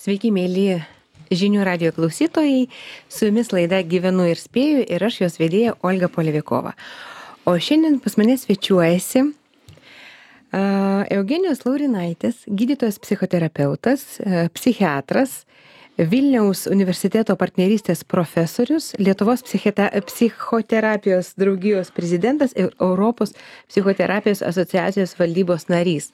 Sveiki, mėly žinių radio klausytojai. Su jumis laida Gyvenu ir spėju ir aš jos vedėja Olga Polevikova. O šiandien pas mane svečiuojasi Eugenijus Laurinaitis, gydytojas psichoterapeutas, psichiatras, Vilniaus universiteto partnerystės profesorius, Lietuvos psichoterapijos draugijos prezidentas ir Europos psichoterapijos asociacijos valdybos narys.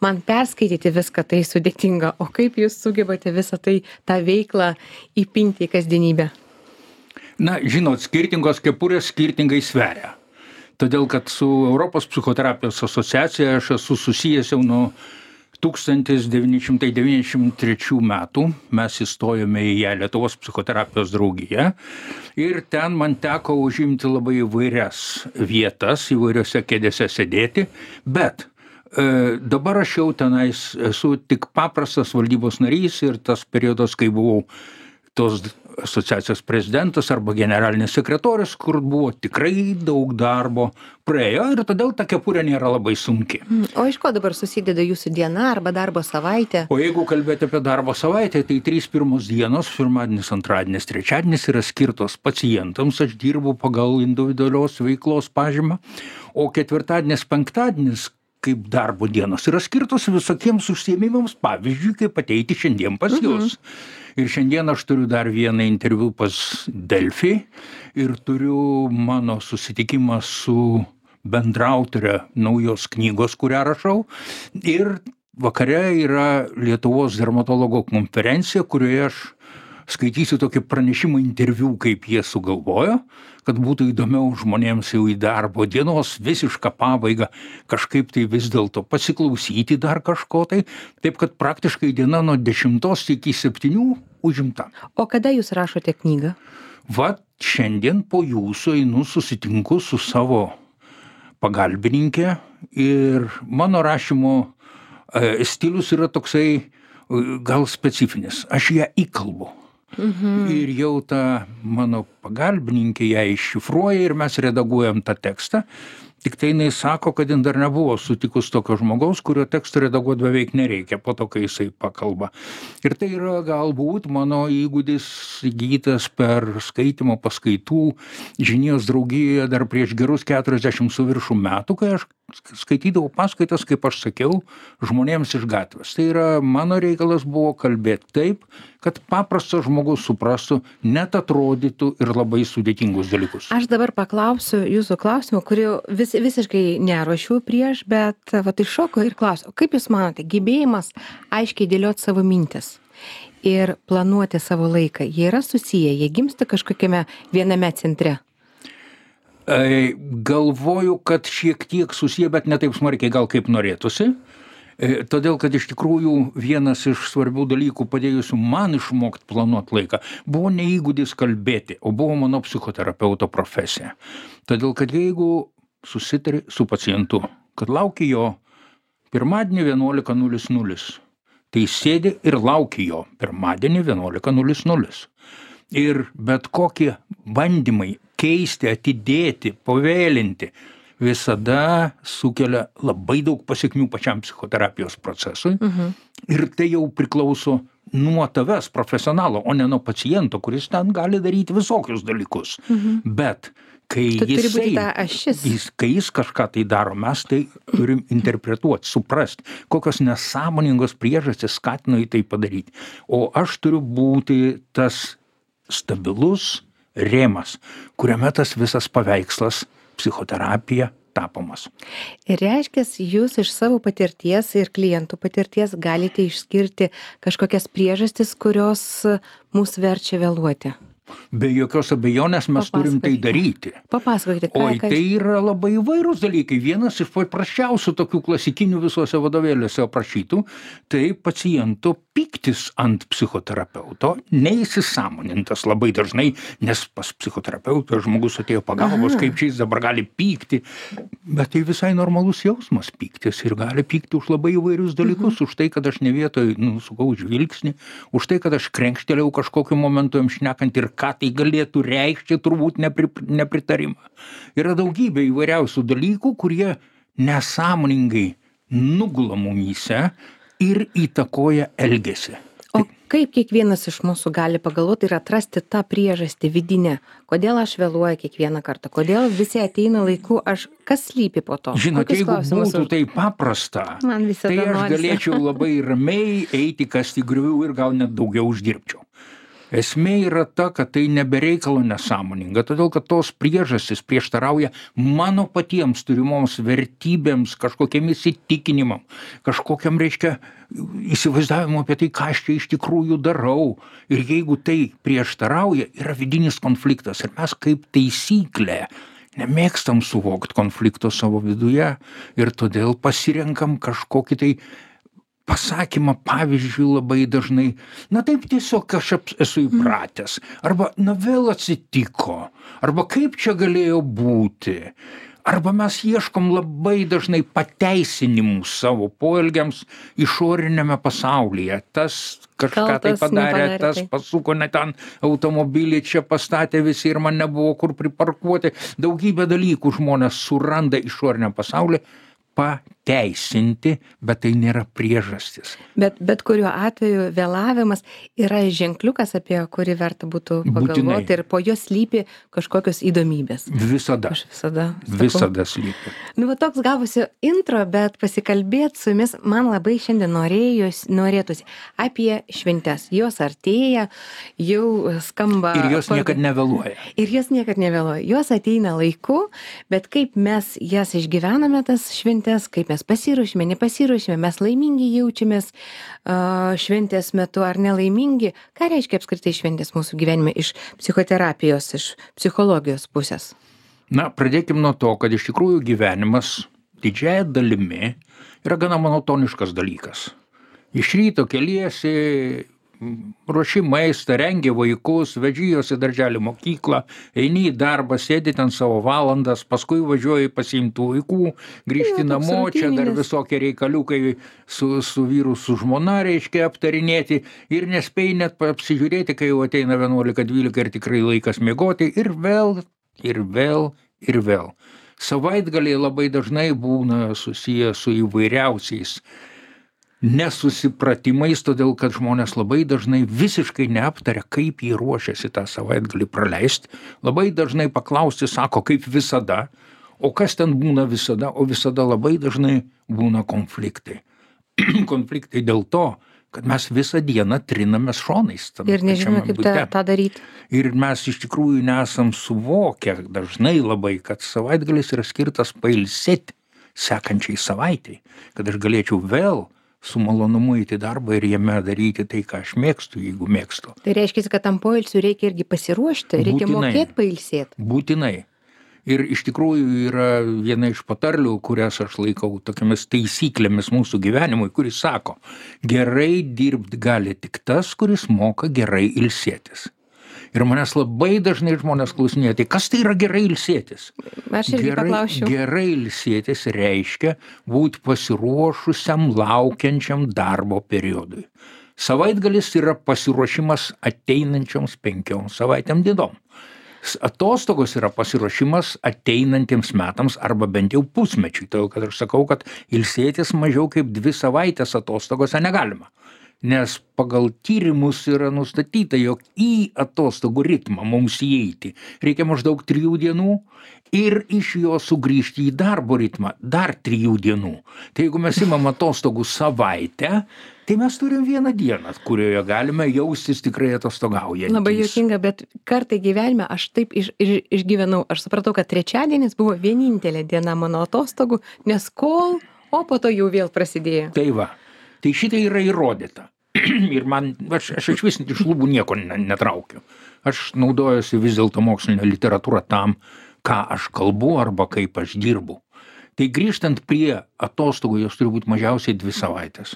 Man perskaityti viską tai sudėtinga, o kaip jūs sugebate visą tai, tą veiklą įpinti į kasdienybę? Na, žinot, skirtingos kepurės skirtingai sveria. Todėl, kad su Europos psichoterapijos asociacija aš esu susijęs jau nuo 1993 metų. Mes įstojome į ją Lietuvos psichoterapijos draugiją ir ten man teko užimti labai įvairias vietas, įvairiose kėdėse sėdėti, bet dabar aš jau tenais esu tik paprastas valdybos narys ir tas periodas, kai buvau tos asociacijos prezidentas arba generalinis sekretorius, kur buvo tikrai daug darbo, praėjo ir todėl ta kepurė nėra labai sunki. O iš ko dabar susideda jūsų diena arba darbo savaitė? O jeigu kalbėti apie darbo savaitę, tai 3 pirmos dienos, pirmadienis, antradienis, trečiadienis yra skirtos pacientams, aš dirbu pagal individualios veiklos pažymą, o ketvirtadienis, penktadienis kaip darbo dienos yra skirtos visokiems užsiėmimams, pavyzdžiui, kaip ateiti šiandien pas jūs. Ir šiandien aš turiu dar vieną interviu pas Delfi ir turiu mano susitikimą su bendraautorė naujos knygos, kurią rašau. Ir vakare yra Lietuvos dermatologo konferencija, kurioje aš skaitysiu tokį pranešimą interviu, kaip jie sugalvojo, kad būtų įdomiau žmonėms jau į darbo dienos visišką pabaigą kažkaip tai vis dėlto pasiklausyti dar kažko tai. Taip, kad praktiškai diena nuo 10 iki 7 užimta. O kada jūs rašote knygą? Vat šiandien po jūsų einu susitinku su savo pagalbininkė ir mano rašymo stilius yra toksai gal specifinis. Aš ją įkalbu. Ir jau ta mano pagalbininkė ją iššifruoja ir mes redaguojam tą tekstą. Tik tai jinai sako, kad jin dar nebuvo sutikus tokio žmogaus, kurio tekstą redaguoti beveik nereikia po to, kai jisai pakalba. Ir tai yra galbūt mano įgūdis įgytas per skaitymo paskaitų žinijos draugijoje dar prieš gerus 40 su viršum metų, kai aš skaitydavau paskaitas, kaip aš sakiau, žmonėms iš gatvės. Tai yra mano reikalas buvo kalbėti taip, kad paprastas žmogus suprastų, net atrodytų ir labai sudėtingus dalykus. Aš dabar paklausiu jūsų klausimą, kurį visiškai neruošiu prieš, bet iššoko ir klausiu, kaip jūs manote, gebėjimas aiškiai dėlioti savo mintis ir planuoti savo laiką, jie yra susiję, jie gimsta kažkokiame viename centre? Galvoju, kad šiek tiek susiję, bet ne taip smarkiai gal kaip norėtųsi. Todėl, kad iš tikrųjų vienas iš svarbių dalykų padėjusių man išmokti planuoti laiką buvo ne įgūdis kalbėti, o buvo mano psichoterapeuto profesija. Todėl, kad jeigu susitari su pacientu, kad lauki jo pirmadienį 11:00, tai sėdi ir lauki jo pirmadienį 11:00. Ir bet kokie bandymai keisti, atidėti, pavėlinti, visada sukelia labai daug pasekmių pačiam psichoterapijos procesui. Ir tai jau priklauso nuo tavęs profesionalo, o ne nuo paciento, kuris ten gali daryti visokius dalykus. Bet kai jis kažką tai daro, mes tai turim interpretuoti, suprasti, kokios nesąmoningos priežastys skatino į tai padaryti. O aš turiu būti tas stabilus rėmas, kuriame tas visas paveikslas psichoterapija tapomas. Ir reiškia, jūs iš savo patirties ir klientų patirties galite išskirti kažkokias priežastis, kurios mus verčia vėluoti. Be jokios abejonės mes turim tai daryti. Papasakokite, ką. O tai yra labai įvairūs dalykai. Vienas iš paprasčiausių tokių klasikinių visuose vadovėliuose aprašytų, tai paciento pyktis ant psichoterapeuto, neįsisąmonintas labai dažnai, nes pas psichoterapeutą žmogus atėjo pagalbos, kaip čia jis dabar gali pykti. Bet tai visai normalus jausmas pyktis ir gali pykti už labai įvairius dalykus, už tai, kad aš ne vietoj nusukau žvilgsnį, už tai, kad aš krenkštelėjau kažkokiu momentu jam šnekant ir ką tai galėtų reikšti, turbūt nepritarimą. Yra daugybė įvairiausių dalykų, kurie nesąmoningai nugula mumyse ir įtakoja elgesį. O kaip kiekvienas iš mūsų gali pagalvoti ir atrasti tą priežastį vidinę? Kodėl aš vėluoju kiekvieną kartą? Kodėl visi ateina laiku? Kas slypi po to? Žinot, Kokius jeigu klausimus būtų tai paprasta, Man visada tai aš norisi. galėčiau labai ramiai eiti kasti griovių ir gal net daugiau uždirbčiau. Esmė yra ta, kad tai nebereikalo nesąmoninga, todėl kad tos priežastys prieštarauja mano patiems turimoms vertybėms, kažkokiam įsitikinimam, kažkokiam, reiškia, įsivaizdavimu apie tai, ką aš čia iš tikrųjų darau. Ir jeigu tai prieštarauja, yra vidinis konfliktas. Ir mes kaip taisyklė nemėgstam suvokti konflikto savo viduje ir todėl pasirenkam kažkokį tai pasakymą, pavyzdžiui, labai dažnai, na taip tiesiog aš esu įpratęs, arba na vėl atsitiko, arba kaip čia galėjo būti, arba mes ieškom labai dažnai pateisinimų savo poelgiams išorinėme pasaulyje. Tas kažką tai padarė, tas pasuko ne ten automobilį, čia pastatė visi ir man nebuvo kur priparkuoti. Daugybė dalykų žmonės suranda išoriniam pasaulyje pateisinti, bet tai nėra priežastis. Bet kuriuo atveju vėlavimas yra ženkliukas, apie kurį verta būtų pagalvoti ir po jo slypi kažkokios įdomybės. Visada. Aš visada slypi. Nu, va toks gavosi intro, bet pasikalbėti su jumis man labai šiandien norėtųsi apie šventes. Jos artėja, jau skamba. Ir jos niekad nevėluoja. Jos ateina laiku, bet kaip mes jas išgyvename, tas šventes, kaip mes pasiruošime, nepasiruošime, mes laimingi jaučiamės šventės metu ar nelaimingi. Ką reiškia apskritai šventės mūsų gyvenime iš psichoterapijos, iš psichologijos pusės? Na, pradėkim nuo to, kad iš tikrųjų gyvenimas didžiąja dalimi yra gana monotoniškas dalykas. Iš ryto keliesi, ruoši maistą, rengi vaikus, veži juos į darželį mokyklą, eini į darbą, sėdi ten savo valandas, paskui važiuoji pasiimtų vaikų, grįžti namo, čia dar visokie reikaliukai su vyru, su žmona reiškia aptarinėti ir nespėjai net apsižiūrėti, kai jau ateina 11-12 ir tikrai laikas miegoti ir vėl. Savaitgaliai labai dažnai būna susiję su įvairiausiais nesusipratimais, todėl kad žmonės labai dažnai visiškai neaptaria, kaip jie ruošiasi tą savaitgalį praleisti. Labai dažnai paklausti, sako, kaip visada, o kas ten būna visada, o visada labai dažnai būna konfliktai. Konfliktai dėl to, kad mes visą dieną trinamės šonais. Ir nežinome, kaip tą daryti. Ir mes iš tikrųjų nesam suvokę dažnai labai, kad savaitgalis yra skirtas pailsėti sekančiai savaitai, kad aš galėčiau vėl su malonumu įti darbą ir jame daryti tai, ką aš mėgstu, jeigu mėgstu. Tai reiškia, kad tam poilsiui reikia irgi pasiruošti, reikia mokėti pailsėti. Būtinai. Ir iš tikrųjų yra viena iš patarlių, kurias aš laikau tokiamis taisyklėmis mūsų gyvenimui, kuris sako, gerai dirbti gali tik tas, kuris moka gerai ilsėtis. Ir manęs labai dažnai žmonės klausinėja, tai kas tai yra gerai ilsėtis? Aš irgi paklausčiau. Gerai ilsėtis reiškia būti pasiruošusiam laukiančiam darbo periodui. Savaitgalis yra pasiruošimas ateinančioms 5 savaitėm dienom. Atostogos yra pasiruošimas ateinantiems metams arba bent jau pusmečiui. Todėl, kad aš sakau, kad ilsėtis mažiau kaip 2 savaitės atostogose negalima. Nes pagal tyrimus yra nustatyta, jog į atostogų ritmą mums įeiti reikia maždaug 3 dienų ir iš jo sugrįžti į darbo ritmą dar 3 dienų. Tai jeigu mes imam atostogų savaitę, tai mes turim 1 dieną, kurioje galime jaustis tikrai atostogaujantys. Labai juokinga, bet kartai gyvenime aš taip išgyvenau. Aš supratau, kad trečiadienis buvo vienintelė diena mano atostogų, nes o po to jau vėl prasidėjo. Tai va, tai šitai yra įrodyta. Ir aš iš vis iš lubų nieko netraukiu. Aš naudojuosi vis dėlto mokslinę literatūrą tam, ką aš kalbu arba kaip aš dirbu. Tai grįžtant prie atostogų, jos turi būti mažiausiai 2 savaitės.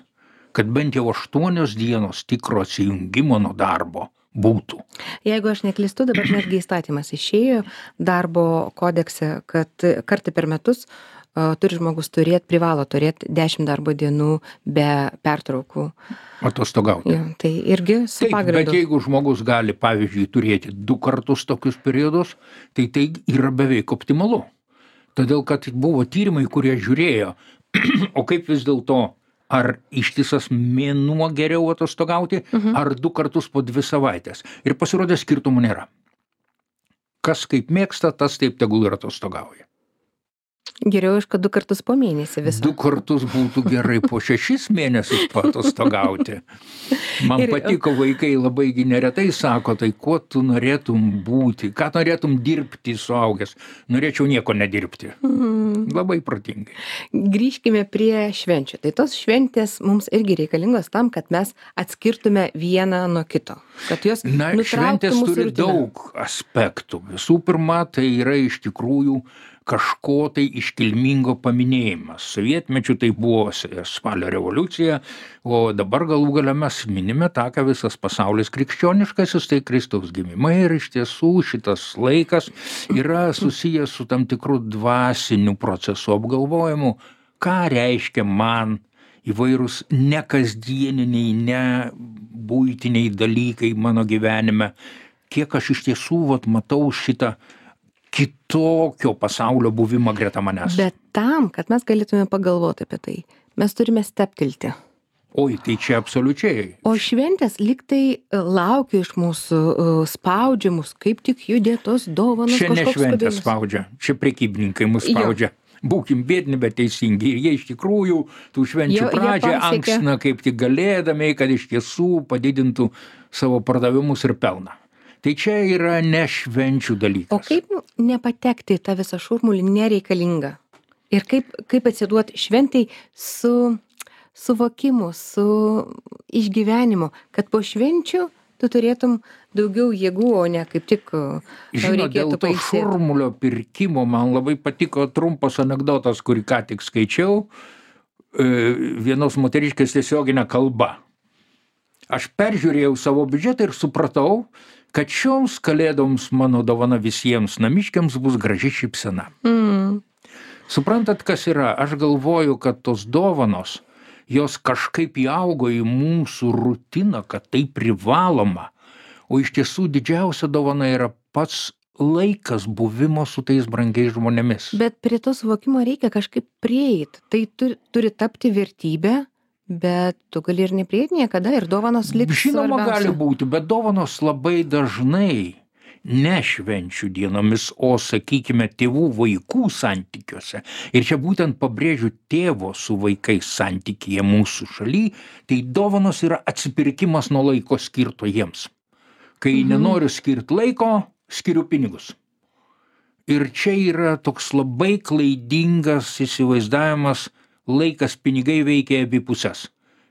Kad bent jau 8 dienos tikro atsijungimo nuo darbo būtų. Jeigu aš neklystu, dabar netgi įstatymas išėjo darbo kodekse, kad kartą per metus privalo turėti 10 darbo dienų be pertraukų. Atostogauti. Ja, tai irgi su pagrindu. Bet jeigu žmogus gali, pavyzdžiui, turėti 2 kartus tokius periodus, tai yra beveik optimalu. Todėl, kad buvo tyrimai, kurie žiūrėjo, o kaip vis dėlto ar ištisas mėnuo geriau atostogauti, ar 2 kartus po 2 savaitės. Ir pasirodė skirtumų nėra. Kas kaip mėgsta, tas taip tegul ir atostogauja. Geriau, kad 2 kartus po mėnesį visą. 2 kartus būtų gerai po 6 mėnesius patostogauti. Man patiko, vaikai labai neretai sako, tai kuo tu norėtum būti, ką norėtum dirbti suaugęs. Norėčiau nieko nedirbti. Labai protingai. Grįžkime prie švenčių. Tai tos šventės mums irgi reikalingos tam, kad mes atskirtume vieną nuo kito. Kad jos šventės turi daug aspektų. Visų pirma, tai yra iš tikrųjų kažko tai iškilmingo paminėjimas. Sovietmečiu tai buvo spalio revoliucija, o dabar galų gale mes minime tą, ką visas pasaulis krikščioniškasis, tai Kristaus gimimai, ir iš tiesų šitas laikas yra susijęs su tam tikru dvasiniu procesu apgalvojimu, ką reiškia man įvairūs nekasdieniniai, ne buitiniai dalykai mano gyvenime, kiek aš iš tiesų matau šitą kitokio pasaulio buvimą greta manęs. Bet tam, kad mes galėtume pagalvoti apie tai, mes turime steptelti. Oi, tai čia absoliučiai. O šventės lyg tai laukia iš mūsų, spaudžia mus, kaip tik judėtos dovanos. Čia ne šventės spaudžia, čia prekybininkai mus spaudžia. Būkim bėdni, bet teisingi. Ir jie iš tikrųjų tų švenčių pradžią ankstina kaip tik galėdami, kad iš tiesų padidintų savo pardavimus ir pelną. Tai čia yra ne švenčių dalykas. O kaip nepatekti tą visą šurmulį nereikalinga? Ir kaip atsiduoti šventai su suvokimu, su išgyvenimu, kad po švenčių tu turėtum daugiau jėgų, o ne kaip tik dėl to šurmulio pirkimo man labai patiko trumpas anekdotas, kurį ką tik skaičiau, vienos moteriškės tiesioginė kalba. Aš peržiūrėjau savo biudžetą ir supratau, kad šioms kalėdoms mano dovana visiems namiškiams bus graži šypsena. Suprantat, kas yra? Aš galvoju, kad tos dovanos, jos kažkaip įaugo į mūsų rutiną, kad tai privaloma. O iš tiesų didžiausia dovana yra pats laikas buvimo su tais brangiais žmonėmis. Bet prie to suvokimo reikia kažkaip prieiti. Tai turi tapti vertybė. Bet tu gali ir neprieiti niekada ir dovanos liks svarbiausia. Žinoma, gali būti, bet dovanos labai dažnai ne švenčių dienomis, o, sakykime, tėvų vaikų santykiuose. Ir čia būtent pabrėžiu tėvo su vaikais santykyje mūsų šaly, tai dovanos yra atsipirkimas nuo laiko skirto jiems. Kai nenoriu skirti laiko, skiriu pinigus. Ir čia yra toks labai klaidingas įsivaizdavimas, laikas pinigai veikia abi pusės.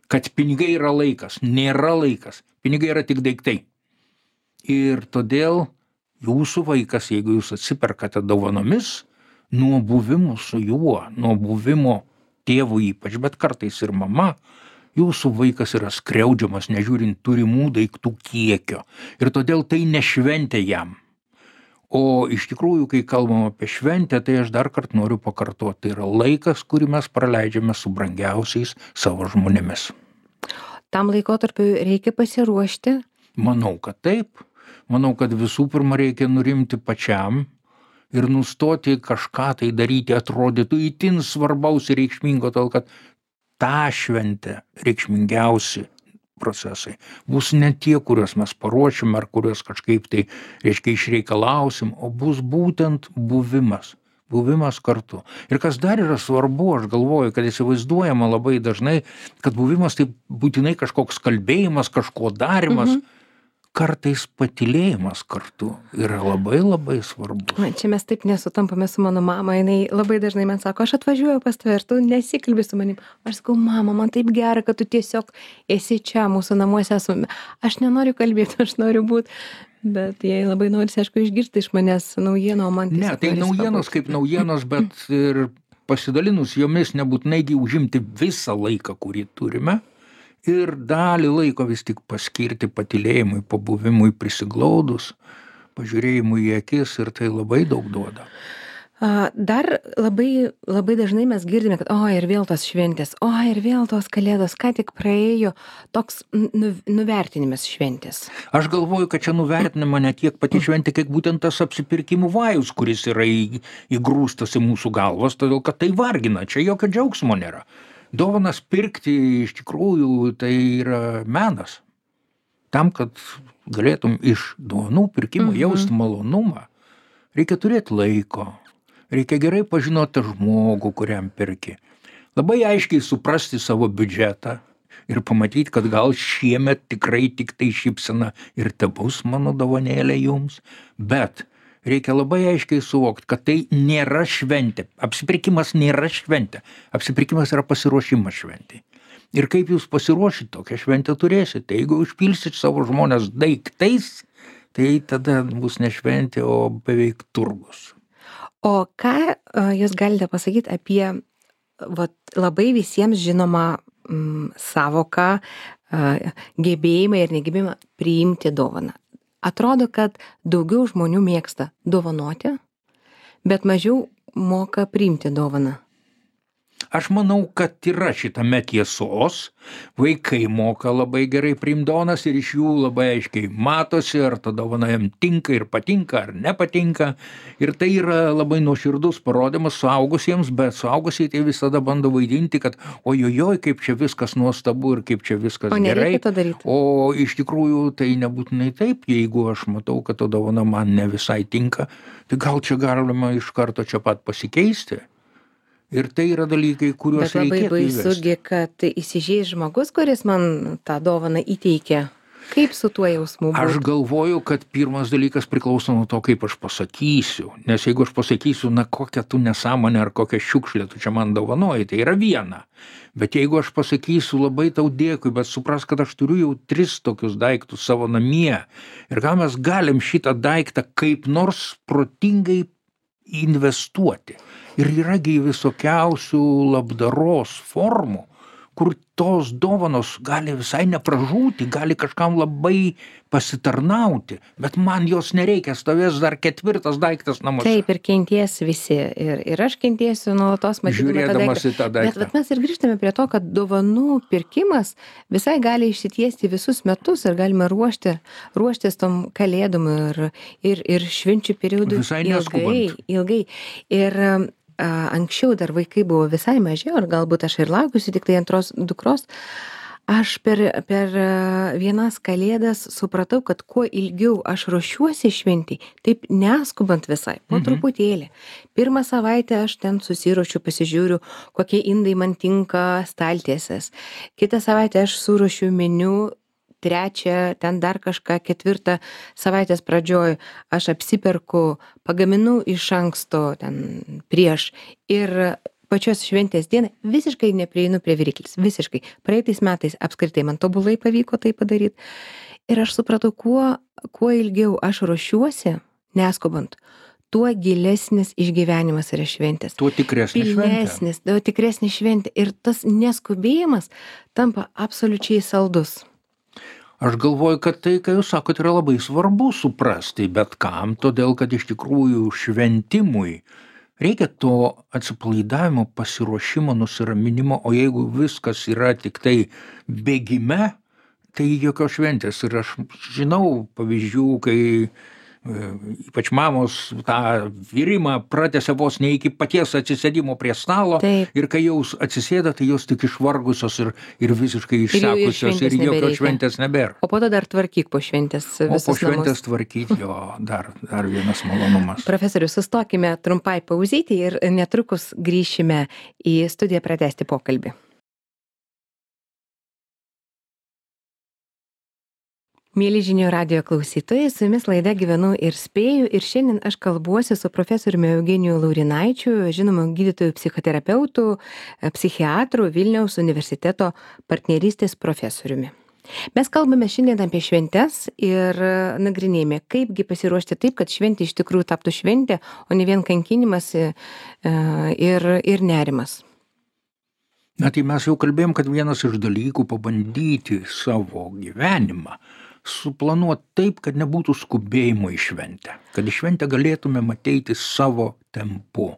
Kad pinigai yra laikas, nėra laikas. Pinigai yra tik daiktai. Ir todėl jūsų vaikas, jeigu jūs atsiperkate dovanomis, nuo buvimo su juo, nuo buvimo tėvų ypač, bet kartais ir mama, jūsų vaikas yra skriaudžiamas, nežiūrint turimų daiktų kiekio. Ir todėl tai nešventė jam. O iš tikrųjų, kai kalbam apie šventę, tai aš dar kartą noriu pakartoti, tai yra laikas, kurį mes praleidžiame su brangiausiais savo žmonėmis. Tam laikotarpiu reikia pasiruošti? Manau, kad taip. Manau, kad visų pirma reikia nurimti pačiam ir nustoti kažką tai daryti, atrodytų itin svarbaus ir reikšmingo, tol kad tą šventę reikšmingiausi procesai bus ne tie, kuriuos mes paruošim ar kuriuos kažkaip tai, išreikalausim, o bus būtent buvimas kartu. Ir kas dar yra svarbu, aš galvoju, kad įsivaizduojama labai dažnai, kad buvimas tai būtinai kažkoks kalbėjimas, kažko darimas, kartais patylėjimas kartu yra labai labai svarbu. Čia mes taip nesutampame su mano mama, jinai labai dažnai man sako, aš atvažiuoju pas tave ir tu nesikalbi su manim. Aš sakau, mama, man taip gera, kad tu tiesiog esi čia, mūsų namuose esame. Aš nenoriu kalbėti, aš noriu būti, bet jai labai norisi, aišku, išgirsti iš manęs naujieną, o man tiesiog... Ne, tai naujienos kaip naujienos, bet ir pasidalinus jomis nebūtinai užimti visą laiką, kurį turime. Ir dalį laiko vis tik paskirti patylėjimui, pabuvimui prisiglaudus, pažiūrėjimui į akis ir tai labai daug duoda. Dar labai dažnai mes girdime, kad ir vėl tos šventės, ir vėl tos kalėdos, ką tik praėjo, toks nuvertinimas šventės. Aš galvoju, kad čia nuvertinama ne tiek pati šventė, kiek būtent tas apsipirkimų vajus, kuris yra įgrūstas į mūsų galvas, todėl kad tai vargina, čia jokio džiaugsmo nėra. Dovanas pirkti iš tikrųjų tai yra menas. Tam, kad galėtum iš dovanų pirkimo jausti malonumą, reikia turėti laiko, reikia gerai pažinoti žmogų, kuriam pirki. Labai aiškiai suprasti savo biudžetą ir pamatyti, kad gal šiemet tikrai tik tai šypsena ir tebus mano dovanėlė jums, bet reikia labai aiškiai suvokti, kad tai nėra šventė. Apsipirkimas nėra šventė. Apsipirkimas yra pasiruošimas šventei. Ir kaip jūs pasiruošit, tokią šventę turėsite. Jeigu užpilsit savo žmonės daiktais, tai tada bus ne šventė, o beveik turgus. O ką jūs galite pasakyti apie labai visiems žinomą savoką, gebėjimą ir negebėjimą priimti dovaną? Atrodo, kad daugiau žmonių mėgsta dovanoti, bet mažiau moka priimti dovaną. Aš manau, kad yra šitame tiesos. Vaikai moka labai gerai priimti dovanas ir iš jų labai aiškiai matosi, ar ta dovana jam tinka ir patinka, ar nepatinka. Ir tai yra labai nuoširdus parodymas suaugusiems, bet suaugusiai tai visada bando vaidinti, kad ojojoj, kaip čia viskas nuostabu ir kaip čia viskas gerai. O nereikia to daryti. O iš tikrųjų tai nebūtinai taip, jeigu aš matau, kad ta dovana man ne visai tinka, tai gal čia galima iš karto čia pat pasikeisti. Ir tai yra dalykai, kuriuos reikėtų įvesti. Bet labai baisugi, kad įsižeis žmogus, kuris man tą dovaną įteikia. Kaip su tuo jausmu būtų? Aš galvoju, kad pirmas dalykas priklauso nuo to, kaip aš pasakysiu. Nes jeigu aš pasakysiu, na kokią tu nesąmonę ar kokią šiukšlę tu čia man dovanoji, tai yra viena. Bet jeigu aš pasakysiu labai tau dėkui, bet supras, kad aš turiu jau 3 tokius daiktus savo namie. Ir gal mes galim šitą daiktą kaip nors protingai investuoti. Ir yragi visokiausių labdaros formų, kur tos dovanos gali visai nepražūti, gali kažkam labai pasitarnauti, bet man jos nereikia, stovės dar 4 daiktas namuose. Taip, ir kenties visi. Ir aš kentiesiu nuolatos matydama žiūrėdamas į tą daiktą. Bet mes ir grįžtame prie to, kad dovanų pirkimas visai gali išsitiesti visus metus ir galime ruoštis tom kalėdom ir švenčių periodų visai neskubant. Ilgai. Ir anksčiau dar vaikai buvo visai maži, ar galbūt aš ir laukiusi tik tai antros dukros, aš per vienas kalėdas supratau, kad kuo ilgiau aš ruošiuosi šventei, taip neskubant visai, po truputėlį. Pirmą savaitę aš ten susiruošiu, pasižiūriu, kokie indai man tinka staltiesės. Kitą savaitę aš suruošiu meniu, 3, ten dar kažką, 4 savaitės pradžioj aš apsiperku, pagaminu iš anksto ten prieš ir pačios šventės dieną visiškai neprieinu prie viryklis, visiškai. Praeitais metais apskritai man tobulai pavyko tai padaryti. Ir aš supratau, kuo ilgiau aš ruošiuosi, neskubant, tuo gilesnis išgyvenimas yra šventės. Tuo tikresnė šventė. Tuo tikresnė šventė. Ir tas neskubėjimas tampa absoliučiai saldus. Aš galvoju, kad tai, ką jūs sakot, yra labai svarbu suprasti, bet kam, todėl, kad iš tikrųjų šventimui reikia to atsipalaidavimo, pasiruošimo, nusiraminimo, o jeigu viskas yra tik tai bėgime, tai jokios šventės. Ir aš žinau pavyzdžių, kai ypač mamos tą virimą pratęsia vos ne iki paties atsisėdimo prie stalo. Taip. Ir kai jau atsisėda, tai jos tik išvargusios ir visiškai išsekusios ir jokios šventės nebėra. O po to dar tvarkyk po šventės visus namus. O po šventės tvarkyk, jo, dar vienas malonumas. Profesoriu, sustokime trumpai pauzyti ir netrukus grįšime į studiją pratęsti pokalbį. Mėly žinių radijo klausytojai, su jumis laida Gyvenu ir spėju ir šiandien aš kalbuosi su profesoriumi Eugeniju Laurinaičiu, žinomu gydytojų psichoterapeutu, psichiatru, Vilniaus universiteto partnerystės profesoriumi. Mes kalbame šiandien apie šventes ir nagrinėjame, kaipgi pasiruošti taip, kad šventė iš tikrųjų taptų šventė, o ne vien kankinimas ir nerimas. Na tai mes jau kalbėjom, kad vienas iš dalykų pabandyti savo gyvenimą suplanuoti taip, kad nebūtų skubėjimo į šventę, kad į šventę galėtumėm ateiti savo tempu.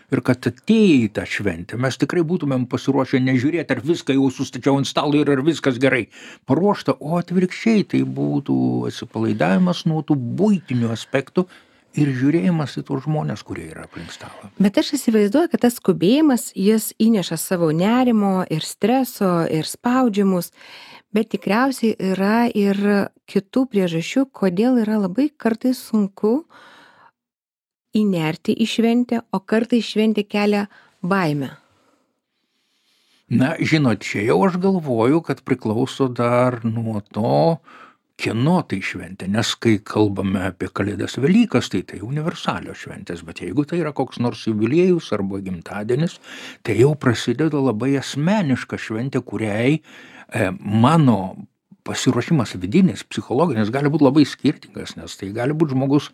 Ir kad atėję į tą šventę mes tikrai būtumėm pasiruošę nežiūrėti, ar viską jau sustačiau ant stalo ir ar viskas gerai paruošta, o atvirkščiai tai būtų atsipalaidavimas nuo tų buitinių aspektų ir žiūrėjimas į tuos žmonės, kurie yra aplink stalą. Bet aš įsivaizduoju, kad tas skubėjimas, jis įneša savo nerimo ir streso ir spaudžiamus, bet tikriausiai yra ir kitų priežasčių, kodėl yra labai kartais sunku įnerti į šventę, o kartais šventė kelia baimę. Na, žinot, čia jau aš galvoju, kad priklauso dar nuo to, kieno tai šventė, nes kai kalbame apie Kalėdas Velykas, tai universalios šventės, bet jeigu tai yra koks nors jubiliejus arba gimtadienis, tai jau prasideda labai asmeniška šventė, kuriai mano pasiruošimas vidinis, psichologinis gali būti labai skirtingas, nes tai gali būti žmogus,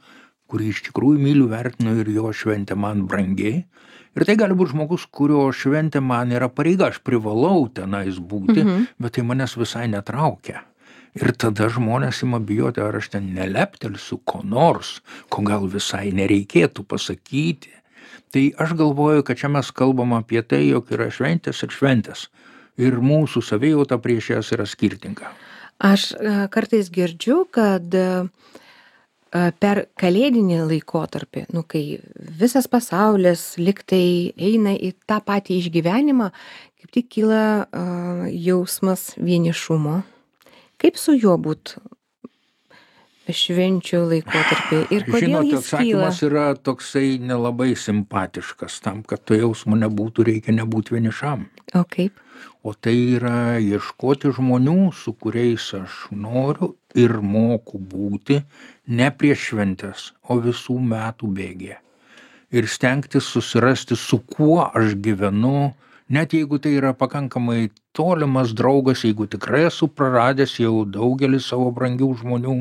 kurį iš tikrųjų myliu, vertinu ir jo šventė man brangiai. Ir tai gali būti žmogus, kurio šventė man yra pareiga, aš privalau tenais būti, bet tai manęs visai netraukia. Ir tada žmonės ima bijoti, ar aš ten neleptelsiu ko nors, ko gal visai nereikėtų pasakyti. Tai aš galvoju, kad čia mes kalbam apie tai, jog yra šventės ir šventės. Ir mūsų savijauta prieš jas yra skirtinga. Aš kartais girdžiu, kad per kalėdinį laikotarpį, kai visas pasaulis liktai eina į tą patį išgyvenimą, kaip tik kyla jausmas vienišumo. Kaip su juo būt švenčių laikotarpį ir kodėl Žinot, jis kyla? atsakymas yra toksai nelabai simpatiškas. Tam, kad to jausmo nebūtų, reikia nebūti vienišam. O kaip? O tai yra ieškoti žmonių, su kuriais aš noriu ir moku būti ne prieš šventes, o visų metų bėgyje. Ir stengtis susirasti, su kuo aš gyvenu, net jeigu tai yra pakankamai tolimas draugas, jeigu tikrai esu praradęs jau daugelį savo brangių žmonių.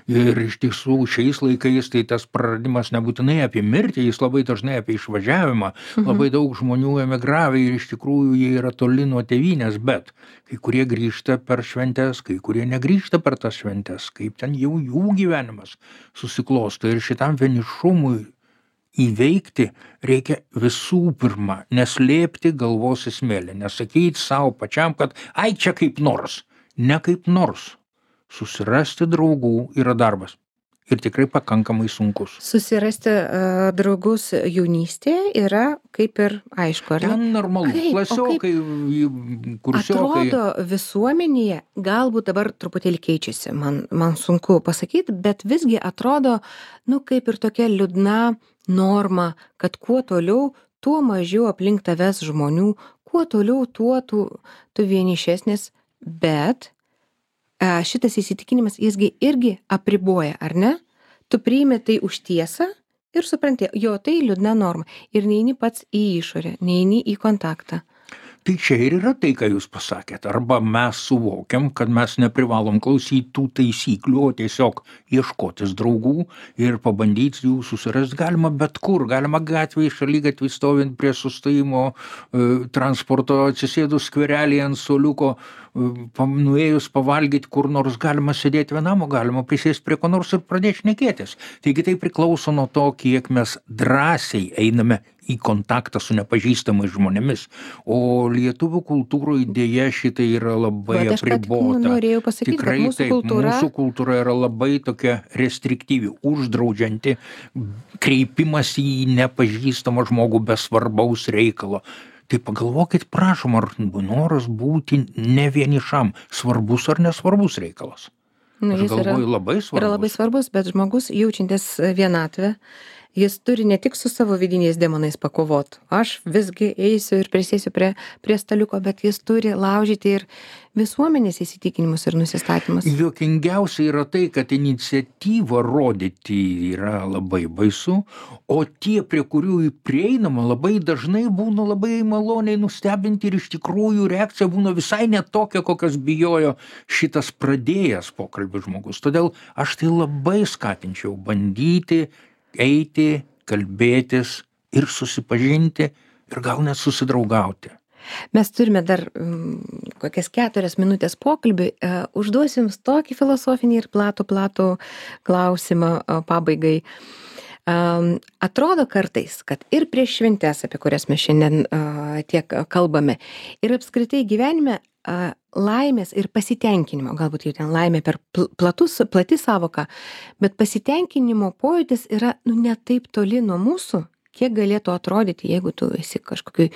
Ir iš tiesų šiais laikais tai tas praradimas nebūtinai apie mirtį, jis labai dažnai apie išvažiavimą. Labai daug žmonių emigravę ir iš tikrųjų jie yra toli nuo tėvynės, bet kai kurie grįžta per šventes, kai kurie negrįžta per tas šventes, kaip ten jau jų gyvenimas susiklosto. Ir šitam vienišumui įveikti reikia visų pirma neslėpti galvos į smėlį, nesakyti savo pačiam, kad ai čia kaip nors, ne kaip nors. Susirasti draugų yra darbas ir tikrai pakankamai sunkus. Susirasti draugus jaunystėje yra kaip ir aišku, ar ne? Ten normalu, klasiokai, kursiokai. Atrodo visuomenėje, galbūt dabar truputėlį keičiasi, man sunku pasakyti, bet visgi atrodo, kaip ir tokia liūdna norma, kad kuo toliau, tuo mažiau aplink tavęs žmonių, kuo toliau, tuo tu vienišesnis, bet šitas įsitikinimas jisgi irgi apriboja, ar ne? Tu priimi tai už tiesą ir supranti, jo tai liūdna norma ir neini pats į išorę, neini į kontaktą. Tai čia ir yra tai, ką jūs pasakėt. Arba mes suvokiam, kad mes neprivalom klausyti tų taisyklių, o tiesiog ieškotis draugų ir pabandyti jų susirasti galima bet kur. Galima gatvėje, šaligatvėje stovint prie sustojimo transporto, atsisėdus skverelėje ant suoliuko, nuėjus pavalgyti kur nors, galima sėdėti vienam, o galima prisėsti prie ko nors ir pradėti šnekėtis. Taigi tai priklauso nuo to, kiek mes drąsiai einame į kontaktą su nepažįstamais žmonėmis. O lietuvių kultūroje dėja šitai yra labai apribota. Norėjau pasakyti, tikrai kad mūsų kultūra yra labai tokia restriktyvi, uždraudžianti kreipimas į nepažįstamą žmogų be svarbaus reikalo. Tai pagalvokit, prašom, ar noras būti ne vienišam svarbus ar nesvarbus reikalas. Aš galvoju, labai svarbus. Yra labai svarbus, bet žmogus jaučiantis vienatvę, jis turi ne tik su savo vidiniais demonais pakovot. Aš visgi eisiu ir prisėsiu prie staliuko, bet jis turi laužyti ir visuomenės įsitikinimus ir nusistatymus. Juokingiausia yra tai, kad iniciatyvą rodyti yra labai baisu, o tie, prie kurių prieinama, labai dažnai būna labai maloniai nustebinti ir iš tikrųjų reakcija būna visai ne tokia, kokias bijojo šitas pradėjęs pokalbį žmogus. Todėl aš tai labai skatinčiau bandyti eiti, kalbėtis ir susipažinti ir gal net susidraugauti. Mes turime dar kokias 4 minutės pokalbį. Užduosiu jums tokį filosofinį ir platų klausimą pabaigai. Atrodo kartais, kad ir prieš šventes, apie kurias mes šiandien tiek kalbame, ir apskritai gyvenime laimės ir pasitenkinimo, galbūt jau ten laimė per plati savoka, bet pasitenkinimo pojūtis yra ne taip toli nuo mūsų, kiek galėtų atrodyti, jeigu tu esi kažkokioj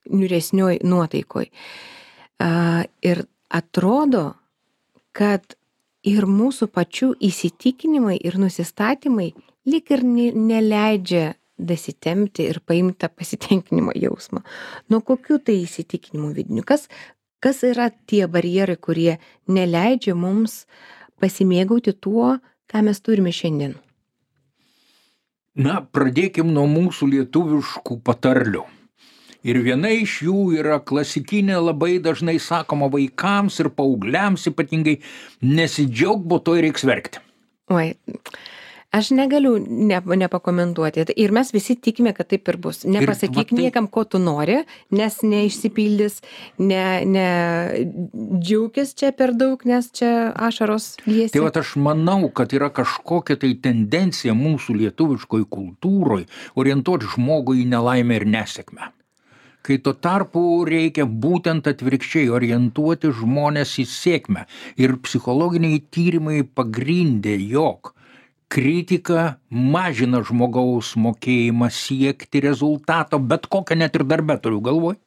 niūresnioj nuotaikoj. Ir atrodo, kad ir mūsų pačių įsitikinimai ir nusistatymai lyg ir neleidžia dasitempti ir paimti tą pasitenkinimo jausmą. Nuo kokių tai įsitikinimų vidinių? Kas yra tie barjerai, kurie neleidžia mums pasimėgauti tuo, ką mes turime šiandien? Na, pradėkim nuo mūsų lietuviškų patarlių. Ir viena iš jų yra klasikinė, labai dažnai sakoma vaikams ir paaugliams ypatingai, nesidžiauk, bo to reiks verkti. Oi, aš negaliu nepakomentuoti. Ir mes visi tikime, kad taip ir bus. Nepasakyk niekam, ko tu nori, nes neišsipildys, džiaukis čia per daug, nes čia ašaros liesi. Tai aš manau, kad yra kažkokia tai tendencija mūsų lietuviškoj kultūroj orientuoti žmogų į nelaimę ir nesėkmę. Kai tuo tarpu reikia būtent atvirkščiai orientuoti žmonės į sėkmę. Ir psichologiniai tyrimai pagrindė, jog kritika mažina žmogaus mokėjimą siekti rezultato, bet kokią net ir darbę turiu galvoj,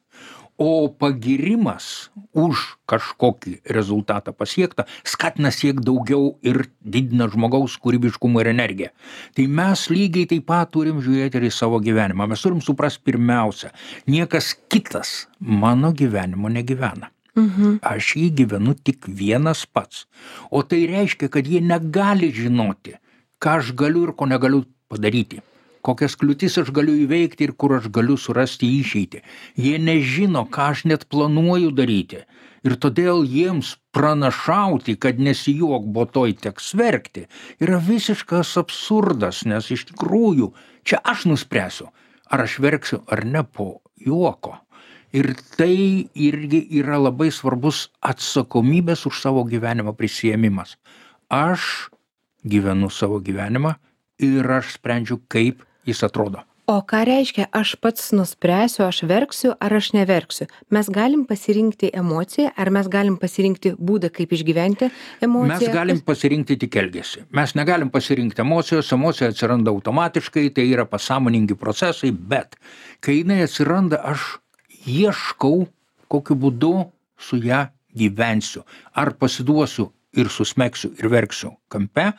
o pagirimas už kažkokį rezultatą pasiektą skatina siekti daugiau ir didina žmogaus kūrybiškumą ir energiją. Tai mes lygiai taip pat turim žiūrėti ir į savo gyvenimą. Mes turim suprasti pirmiausia, niekas kitas mano gyvenimo negyvena. Aš jį gyvenu tik vienas pats. O tai reiškia, kad jie negali žinoti, ką aš galiu ir ko negaliu padaryti. Kokias kliūtis aš galiu įveikti ir kur aš galiu surasti išeitį. Jie nežino, ką aš net planuoju daryti. Ir todėl jiems pranašauti, kad nesijuok, bo toj teks verkti, yra visiškas absurdas, nes iš tikrųjų čia aš nuspręsiu, ar aš verksiu ar ne po juoko. Ir tai irgi yra labai svarbus atsakomybės už savo gyvenimo prisiėmimas. Aš gyvenu savo gyvenimą ir aš sprendžiu, kaip jis atrodo. O ką reiškia, aš pats nuspręsiu, aš verksiu ar aš neverksiu? Mes galim pasirinkti emociją, ar mes galim pasirinkti būdą, kaip išgyventi emociją? Mes galim pasirinkti tik elgesį. Mes negalim pasirinkti emocijos, emocija atsiranda automatiškai, tai yra pasąmoningi procesai, bet kai jinai atsiranda, aš ieškau, kokiu būdu su ją gyvensiu. Ar pasiduosiu ir susmegsiu ir verksiu kampe,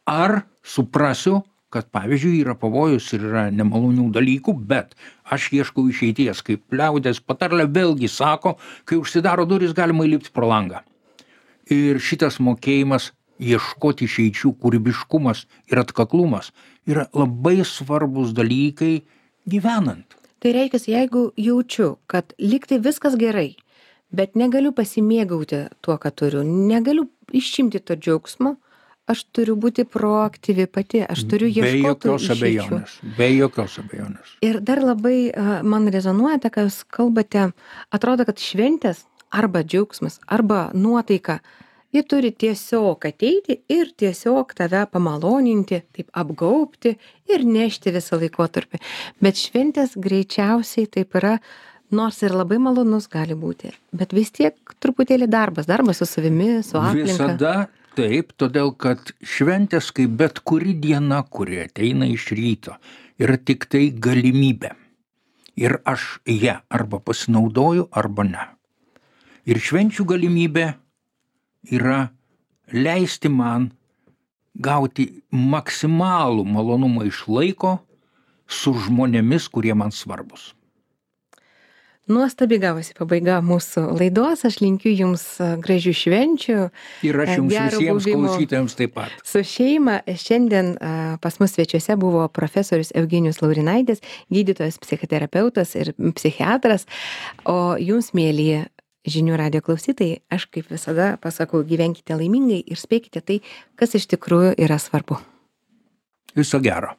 ar suprasiu, kad pavyzdžiui yra pavojus ir yra nemalonių dalykų, bet aš ieškau išeities, kaip liaudės patarlė vėlgi sako, kai užsidaro durys, galima įlipti pro langą. Ir šitas mokėjimas ieškoti išeičių, kūrybiškumas ir atkaklumas yra labai svarbus dalykai gyvenant. Tai reiškia, jeigu jaučiu, kad lygtai viskas gerai, bet negaliu pasimėgauti tuo, ką turiu, negaliu išimti to džiaugsmo, aš turiu būti proaktyvi pati, aš turiu ieškoti išeičių. Be jokios abejonės. Ir dar labai man rezonuoja, kai jūs kalbate, atrodo, kad šventės arba džiaugsmas, arba nuotaika, jie turi tiesiog ateiti ir tiesiog tave pamaloninti, taip apgaubti ir nešti visą laikotarpį. Bet šventės greičiausiai taip yra, nors ir labai malonus gali būti, bet vis tiek truputėlį darbas su savimi, su aplinka. Visada taip, todėl kad šventės, kaip bet kuri diena, kuri ateina iš ryto, yra tik tai galimybė. Ir aš ją arba pasinaudoju, arba ne. Ir švenčių galimybė yra leisti man gauti maksimalų malonumą iš laiko su žmonėmis, kurie man svarbus. Nuostabi gavosi pabaiga mūsų laidos, aš linkiu jums gražių švenčių. Ir aš jums visiems klausytojams taip pat. Su šeima šiandien pas mus svečiuose buvo profesorius Eugenijus Laurinaitis, gydytojas, psichoterapeutas ir psichiatras, o jums, mėly žinių radijo klausytojai, aš kaip visada pasakau, gyvenkite laimingai ir spėkite tai, kas iš tikrųjų yra svarbu. Viso gero.